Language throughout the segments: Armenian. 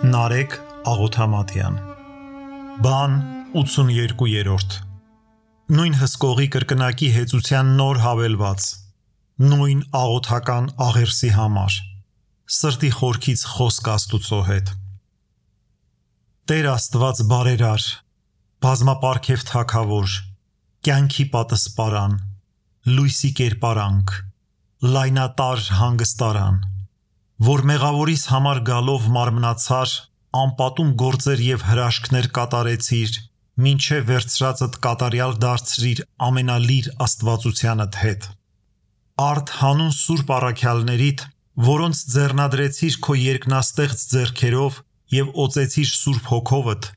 Նարեկ Աղոթամատյան Բան 82-րդ Նույն հսկողի կրկնակի հեծության նոր հավելված Նույն աղոթական աղերսի համար Սրտի խորքից խոսք Աստուծո հետ Տեր Աստված բարերար Բազմապարգև թագավոր Կյանքի պատսպարան Լույսի կերպարանք Լայնատար հանգստարան Որ մեղավորիս համար գալով մարմնացար, անպատում գործեր և հրաշքներ կատարեցիր, մինչև վերցրածդ կատարյալ դարձրիր ամենալիր աստվածությանդ հետ։ Արդ հանուն սուրբ առաքյալներիդ, որոնց ձեռնադրեցիր քո երկնաստեղծ ձեռքերով և օծեցիր սուրբ հոգովդ,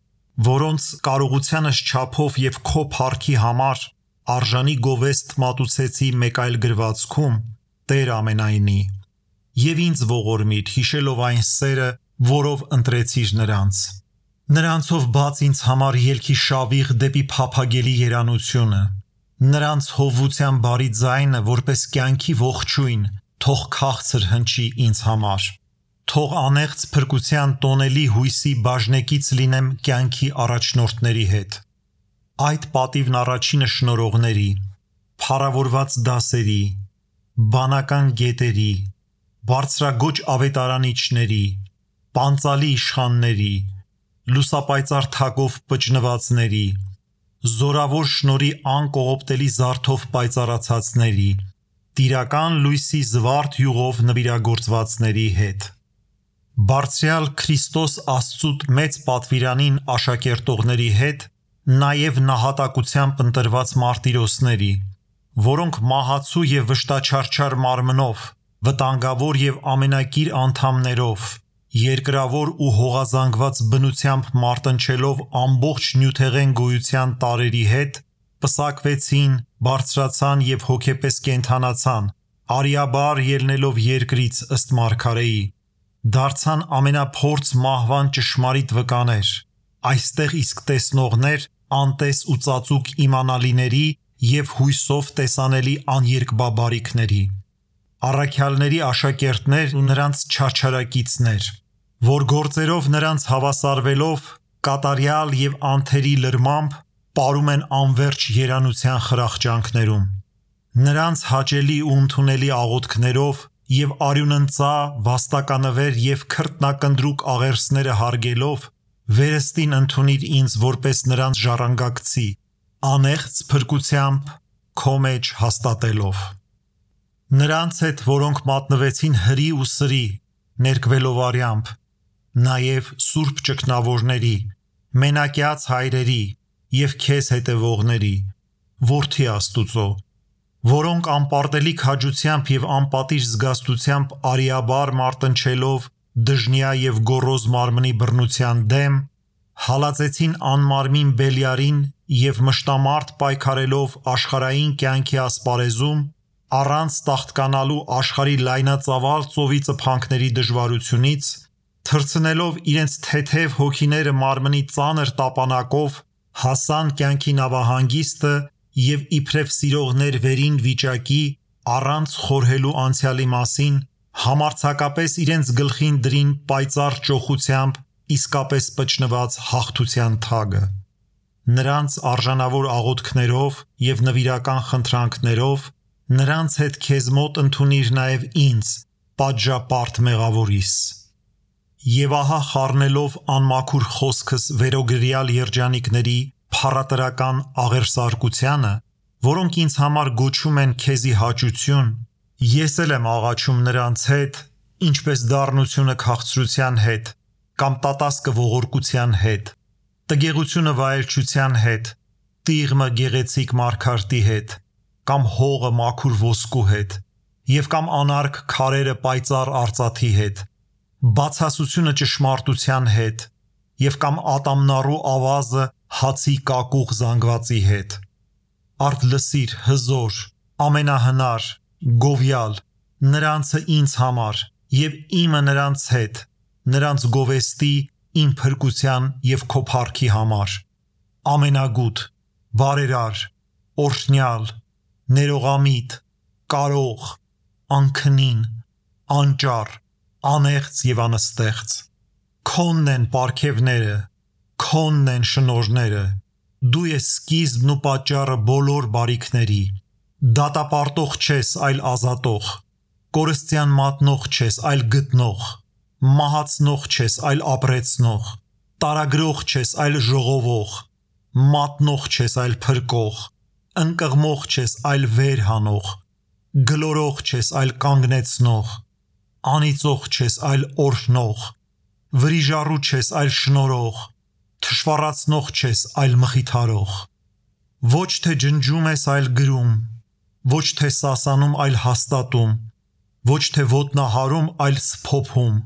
որոնց կարողությանս չափով և քո փառքի համար արժանի գովեստ մատուցեցի մեկ այլ գրվածքում, Տեր ամենայնի, և ինձ ողորմիր հիշելով այն սերը, որով ընտրեցիր նրանց։ Նրանցով բաց ինձ համար ելքի շավիղ դեպի փափագելի երանությունը, նրանց հովվության բարի ձայնը, որպես կյանքի ողջույն, թող քաղցր հնչի ինձ համար։ Թող անեղծ փրկության տոնելի հույսի բաժնեկից լինեմ կյանքի առաջնորդների հետ։ Այդ պատիվն առաջինը շնորհողների, փառավորված դասերի, բանական գետերի, բարձրագոչ ավետարանիչների, պանծալի իշխանների, լուսապայծառ թագով պճնվածների, զորավոր շնորհի անկողոպտելի զարդով պայծառացածների, տիրական լույսի զվարթ յուղով նվիրագործվածների հետ։ Բարձրյալ Քրիստոս Աստծուտ մեծ պատվիրանին աշակերտողների հետ, նաև նահատակությամբ ընտրված մարտիրոսների, որոնք մահացու և վշտաչարչար մարմնով, վտանգավոր և ամենակիր անդամներով, երկրավոր ու հողազանգված բնությամբ մարտնչելով ամբողջ նյութեղեն գոյության տարրերի հետ, պսակվեցին, բարձրացան և հոգեպես կենդանացան, արիաբար ելնելով երկրից ըստ մարգարեի, դարձան ամենափորձ մահվան ճշմարիտ վկաներ, այստեղ իսկ տեսնողներ, անտես ու ծածուկ իմանալիների և հույսով տեսանելի աներկբաբարիքների, առաքյալների աշակերտներ ու նրանց չարչարակիցներ, որ գործերով նրանց հավասարվելով, կատարյալ և անթերի լրմամբ, պարում են անվերջ երանության խրախճանքներում, նրանց հաճելի ու ընդունելի աղոթքներով և արյունընծա, վաստականվեր և քրտնակնդրուկ աղերսները հարգելով, վերստին ընդունիր ինձ որպես նրանց ժառանգակցի, անեղծ փրկությամբ քո մեջ հաստատելով։ Նրանց հետ, որոնք մատնվեցին հրի ու սրի, ներկվելով արյամբ, նաև սուրբ ճգնավորների, մենակյաց հայրերի և քեզ հետևողների, որդի Աստուծո, որոնք անպարտելի քաջությամբ և անպատիժ զգաստությամբ արիաբար մարտնչելով դժնյա և գոռոզ մարմնի բռնության դեմ, հալածեցին անմարմին Բելիարին և մշտամարդ պայքարելով աշխարհային կյանքի ասպարեզում, առանց տաղտկանալու աշխարհի լայնածավալ ծովի ծփանքների դժվարությունից, թռցնելով իրենց թեթև հոգիները մարմնի ծանր տապանակով, հասան կյանքի նավահանգիստը և իբրև սիրողներ վերին վիճակի, առանց խորհելու անցյալի մասին, համարձակապես իրենց գլխին դրին պայծառ ճոխությամբ իսկապես պճնված հաղթության թագը։ Նրանց արժանավոր աղոթքներով և նվիրական խնդրանքներով նրանց հետ քեզ մոտ ընդունիր նաև ինձ, պատժապարտ մեղավորիս։ Եվ ահա խառնելով անմաքուր խոսքս վերոգրյալ երջանիկների փառատրական աղերսարկությանը, որոնք ինձ համար գոչում են քեզի հաճություն, ես էլ եմ աղաչում նրանց հետ, ինչպես դառնությունը քաղցրության հետ, կամ տատասկը ողորկության հետ, տգեղությունը վայելչության հետ, տիղմը գեղեցիկ մարգարտի հետ, կամ հողը մաքուր ոսկու հետ, և կամ անարգ քարերը պայծառ արծաթի հետ, բացասությունը ճշմարտության հետ, և կամ ատամնառու ավազը հացի կակուղ զանգվածի հետ։ Արդ լսիր հզոր, ամենահնար, գովյալ, նրանցը ինձ համար և իմը նրանց հետ, նրանց գովեստի, իմ փրկության և քո փառքի համար, ամենագութ, բարերար, օրհնյալ, ներողամիտ, կարող, անքնին, անճառ, անեղծ և անըստեղծ, քոնն են պարգևները, քոնն են շնորհները, դու ես սկիզբն ու պատճառը բոլոր բարիքների, դատապարտող չես, այլ ազատող, կորստյան մատնող չես, այլ գտնող, մահացնող չես, այլ ապրեցնող, տարագրող չես, այլ ժողովող, մատնող չես, այլ փրկող, ընկղմող չես, այլ վեր հանող, գլորող չես, այլ կանգնեցնող, անիծող չես, այլ օրհնող, վրիժառու չես, այլ շնորհող, թշվառացնող չես, այլ մխիթարող, ոչ թե ջնջում ես, այլ գրում, ոչ թե սասանում, այլ հաստատում, ոչ թե ոտնահարում, այլ սփոփում,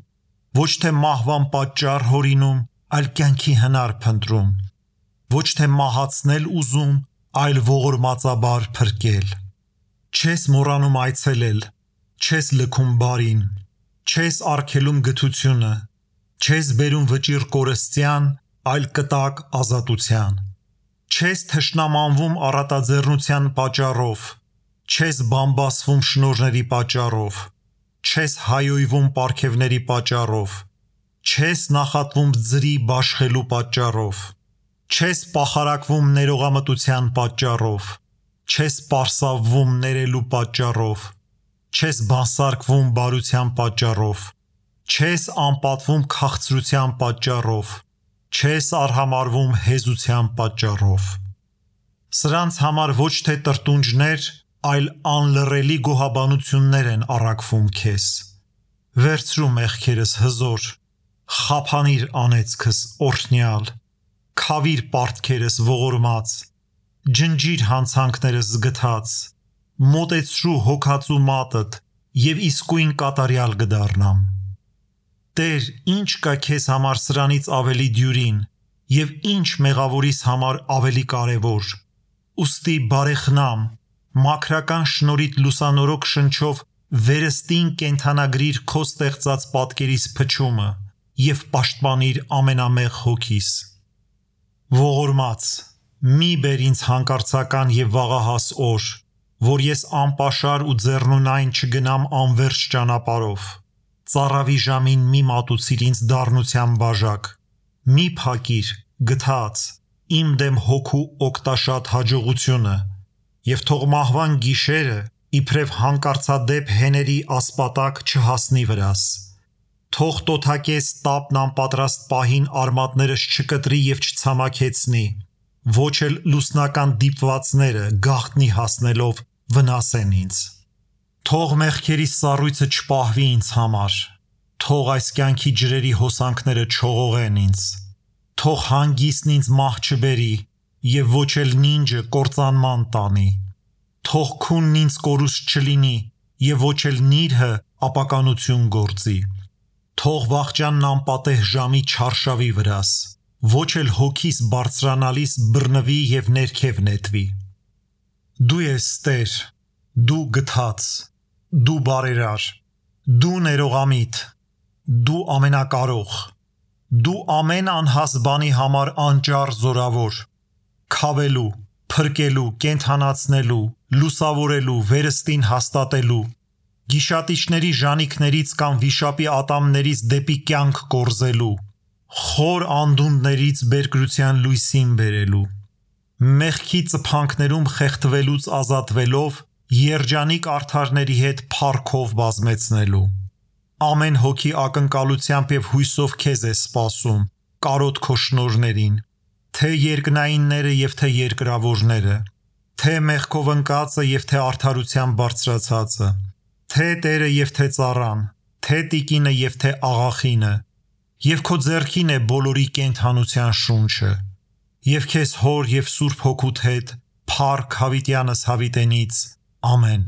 ոչ թե մահվան պատճառ հորինում, այլ կյանքի հնար փնտրում, ոչ թե մահացնել ուզում, այլ ողորմածաբար փրկել, չես մոռանում այցելել, չես լքում բարին, չես արգելում գթությունը, չես բերում վճիռ կորստյան, այլ կտակ ազատության, չես թշնամանվում առատաձեռնության պատճառով, չես բամբասվում շնորհների պատճառով, չես հայոյվում պարգևների պատճառով, չես նախատվում ձրի բաշխելու պատճառով, չես պախարակվում ներողամտության պատճառով, չես պարսավվում ներելու պատճառով, չես բանսարկվում բարության պատճառով, չես անպատվում քաղցրության պատճառով, չես արհամարվում հեզության պատճառով։ Սրանց համար ոչ թե տրտունջներ, այլ անլռելի գոհաբանություններ են առաքվում քեզ։ Վերցրու մեղքերս հզոր, խափանիր անեծքս օրհնյալ, քավիր պարտքերս ողորմած, ջնջիր հանցանքներս զգթած, մոտեցրու հոգածու մատդ եւ իսկույն կատարյալ կդառնամ։ Տեր, ինչ կա քեզ համար սրանից ավելի դյուրին եւ ինչ մեղավորիս համար ավելի կարեւոր։ Ուստի բարեխնամ, մաքրական շնորհիդ լուսանորոք շնչով վերստին կենթանագրիր քո ստեղծած պատկերիս փչումը եւ պաշտպանիր ամենամեղ հոգիս։ Ողորմած, մի բեր ինձ հանկարծական եւ վաղահաս օր, որ ես անպաշար ու ձեռնունայն չգնամ անverջ ճանապարհով։ Ծառավի ժամին մի մատուցիր ինձ դառնության բաժակ, մի փակիր, գթած, իմ դեմ հոգու օգտաշատ հաջողությունը, եւ թող մահվան գիշերը, իբրև հանկարծադեպ հեների ասպատակ չհասնի վրաս։ Թող տոթակես տապն անպատրաստ պահին արմատներս չկտրի եւ չցամաքեցնի, ոչ էլ լուսնական դիպվածները գաղտնի հասնելով վնասեն ինձ։ Թող մեղքերի սառույցը չպահվի ինձ համար, թող այս կյանքի ջրերի հոսանքները չողողեն ինձ, թող հանգիստն ինձ մահ չբերի եւ ոչ էլ նինջը կործանման տանի, թող քունն ինձ կորուստ չլինի եւ ոչ էլ նիրհը ապականություն գործի, թող վախճանն անպատեհ ժամի չարշավի վրաս, ոչ էլ հոգիս բարձրանալիս բռնվի եւ ներքև նետվի։ Դու ես Տեր, դու գթած, դու բարերար, դու ներողամիտ, դու ամենակարող, դու ամեն անհաս բանի համար անճար զորավոր, քավելու, փրկելու, կենթանացնելու, լուսավորելու, վերստին հաստատելու, գիշատիչների ժանիքներից կամ վիշապի ատամներից դեպի կյանք կորզելու, խոր անդունդներից բերկրության լույսին բերելու, մեղքի ծփանքներում խեղդվելուց ազատվելով երջանիկ արդարների հետ փառքով բազմեցնելու։ Ամեն հոգի ակնկալությամբ եւ հույսով քեզ է սպասում, կարոտ քո շնորհներին, թե երկնայինները եւ թե երկրավորները, թե մեղքով ընկածը եւ թե արդարության բարձրացածը, թե Տերը եւ թե ծառան, թե տիկինը եւ թե աղախինը, եւ քո ձեռքին է բոլորի կենթանության շունչը, եւ քեզ հոր եւ Սուրբ Հոգուդ հետ փառք հավիտյանս հավիտենից, ամեն։